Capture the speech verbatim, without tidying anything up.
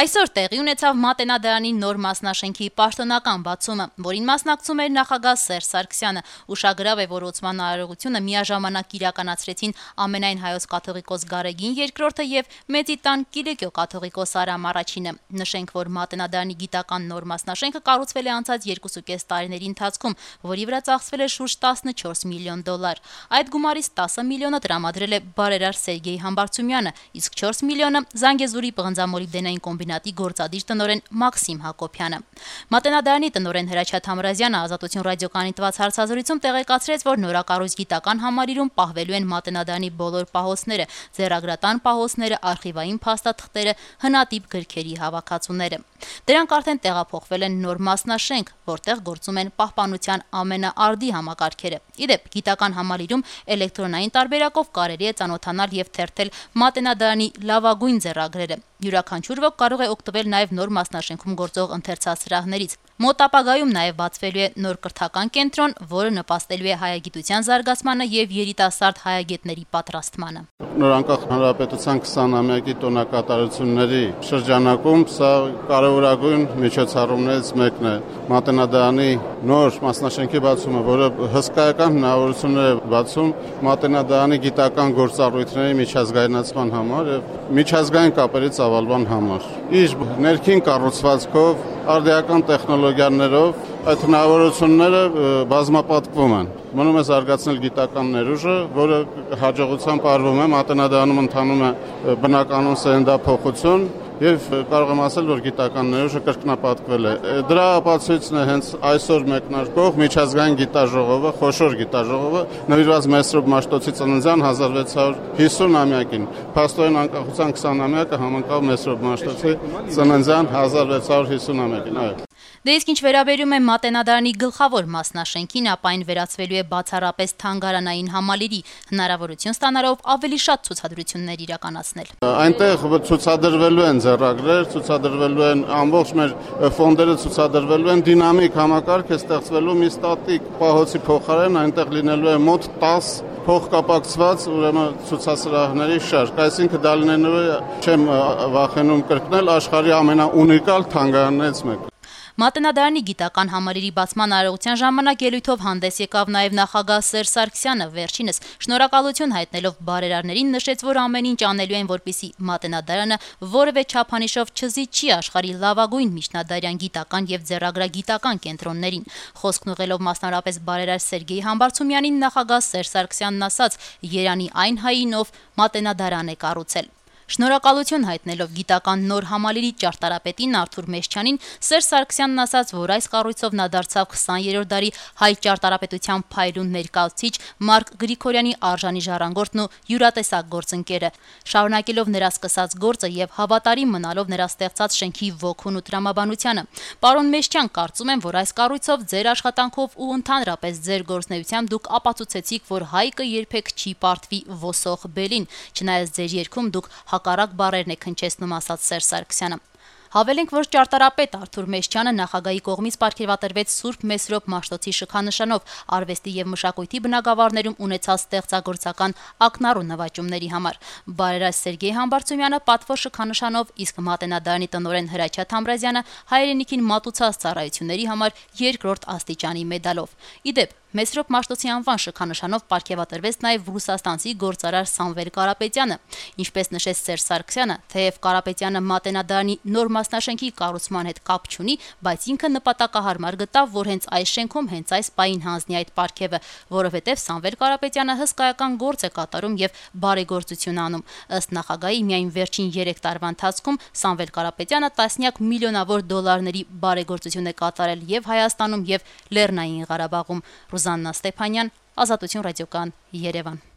Այսօր տեղի ունեցավ Մատենադարանի նոր մասնաշենքի պաշտոնական բացումը, որին մասնակցում էր նախագահ Սերժ Սարգսյանը։ Ուշագրավ է, որ ոցման արարողությունը միաժամանակ իրականացրեցին ամենայն հայոց կաթողիկոս Գարեգին երկրորդը եւ Մեծի տան Կիլիկիո կաթողիկոս Արամ առաջինը։ Նշենք, որ Մատենադարանի գիտական նոր մասնաշենքը կառուցվել է անցած երկուսուկես տարիների ընթացքում, որի վրա ծախսվել է շուրջ տասնչորս միլիոն դոլար։ Այդ գումարից տասը միլիոնը տրամադրել է բարերար Սերգեյ Համբարձումյանը, իսկ չորս միլիոնը Զանգեզուրի պղնձամոլիբդենային կոմբինատի գործադիր տնօրեն Մաքսիմ Հակոբյանը։ Մատենադարանի տնօրեն Հրաչյա Թամրազյանը Ազատություն ռադիոկայանի տված հարցազրույցում տեղեկացրեց, որ նորակառույց գիտական համալիրում պահվելու են Մատենադարանի բոլոր պահոցները, ձեռագրատան պահոցները, արխիվային փաստաթղթերը, հնատիպ գրքերի հավաքածուները։ Դրանք արդեն տեղափոխվել են նոր մասնաշենք, որտեղ գործում են պահպանության ամենաարդի համակարգերը։ Իդեպ, գիտական համալիրում էլեկտրոնային տարբերակով կարելի է ծանոթանալ եւ թերթել Մատենադարանի լավագույն ձեռագրերը։ Յուրաքանչյուր ոք կարող է օգտվել նաև նոր մասնաշենքում գործող ընթերցասրահներից։ Մոտ ապագայում նաև բացվելու է նոր կրթական կենտրոն, որը նպաստելու է հայագիտության զարգացմանը եւ երիտասարդ հայագետների պատրաստմանը։ Նոր անկախ հանրապետության քսանամյակի տոնակատարությունների շրջանակում սա կարևորագույն միջոցառումներից մեկն է։ Մատենադարանի նոր մասնաշենքի բացումը, որը հսկայական հնարավորություններ է բացում Մատենադարանի գիտական գործառույթների միջազգայնացման համար եւ միջազգային կապերի ծավալման համար։ Իր ներքին կառուցվածքով, արդիական տեխնոլոգիաներով այդ հնարավորությունները բազմապատկվում են։ Մնում է զարգացնել գիտական ներուժը, որը հաջողությամբ արվում է, Մատենադարանում ընթանում է բնականոն սերնդափոխություն եւ կարող եմ ասել, որ գիտական ներուժը կրկնապատկվել է։ Դրա ապացույցն է հենց այսօր մեկնարկող միջազգային գիտաժողովը, խոշոր գիտաժողովը, նվիրված Մեսրոպ Մաշտոցի ծննդյան հազար վեց հարյուր հիսունամյակին։ Փաստորեն անկախության քսանամյակը համընկավ Մեսրոպ Մաշտոցի ծննդյան հազար վեց հարյուր հիսունամյակին, այո։ Դե իսկ ինչ վերաբերում է Մատենադարանի գլխավոր մասնաշենքին, ապա այն վերածվելու է բացառապես թանգարանային համալիրի, հնարավորություն ստանալով ավելի շատ ցուցադրություններ իրականացնել։ Այնտեղ ցուցադրվելու են ձեռագրեր, ցուցադրվելու են ամբողջ մեր ֆոնդերը, ցուցադրվելու են դինամիկ համակարգ է ստեղծվելու մի ստատիկ պահոցի փոխարեն, այնտեղ լինելու է մոտ տաս փոխկապակցված ուրեմն ցուցասրահների շարք, այսինքն դա լինելու է, չեմ վախենում կրկնել, աշխարհի ամենաունիկալ թանգարաններից մեկը։ Մատենադարանի գիտական համալիրի բացման արարողության ժամանակ ելույթով հանդես եկավ նաև նախագահ Սերժ Սարգսյանը, վերջինս շնորհակալություն հայտնելով բարերարներին նշեց, որ ամեն ինչ անելու են, որպեսզի Մատենադարանը որևէ չափանիշով չզիջի աշխարհի լավագույն միջնադարյան գիտական եւ ձեռագրագիտական կենտրոններին։ Խոսքն ուղղելով մասնարարպես բարերար Սերգեյ Համբարձումյանին, նախագահ Սերժ Սարգսյանն ասաց. «Երանի այն հային, ով Մատենադարան է կառուցել»։ Շնորհակալություն հայտնելով գիտական նոր համալիրի ճարտարապետին Արթուր Մեշչյանին, Սերժ Սարգսյանն ասաց, որ այս կառույցով նա դարձավ քսաներորդ դարի հայ ճարտարապետության փայլուն ներկայացուցիչ Մարկ Գրիգորյանի արժանի ժառանգորդն ու յուրատեսակ գործընկերը։ Շարունակելով նրա սկսած գործը եւ հավատարիմ մնալով նրա ստեղծած շենքի ոգուն ու տրամաբանությանը, պարոն Մեշչյան, կարծում եմ, որ այս կառույցով ձեր աշխատանքով ու ընդհանրապես ձեր գործունեությամբ դուք ապացուցեցիք, որ հայկը երբեք չի պարտվի ոսող բելին, չնայած ձեր երգում դուք հակառակ բառերն է քնչեցնում, ասաց Սերժ Սարգսյանը։ Հավելենք, որ ճարտարապետ Արթուր Մեշչյանը նախագահի կողմից պարգևատրվեց Սուրբ Մեսրոպ Մաշտոցի շքանշանով արվեստի եւ մշակույթի բնագավառներում ունեցած ստեղծագործական ակնառու նվաճումների համար։ Բարերար Սերգեյ Համբարձումյանը պատվո շքանշանով, իսկ Մատենադարանի տնօրեն Հրաչյա Թամրազյանը հայրենիքին մատուցած ծառայությունների համար երկրորդ աստիճանի մեդալով։ Իդեպ, Մեսրոպ Մաշտոցի անվան շքանշանով պարգևատրվեց նաև ռուսաստանցի գործարար Սամվել Կարապետյանը։ Ինչպես նշեց Սերժ Սարգսյանը, թեև Կարապետյանը Մատենադարանի նոր մասնաշենքի կառուցման հետ կապ չունի, բայց ինքը նպատակահարմար գտավ, որ հենց այս շենքում հենց այս պահին հանձնի այդ պարգևը, որովհետև Սամվել Կարապետյանը հսկայական գործ է կատարում եւ բարեգործություն անում։ Ըստ նախագահի, միայն վերջին երեք տարվա ընթացքում Սամվել Կարապետյանը տասնյակ միլիոնավոր դոլարների բարեգործություն է կատարել եւ Հայաստանում եւ Լեռնային Ղարաբաղում։ Ռուզաննա Ստեփանյան, Ազատություն ռադիոկայան, Երևան։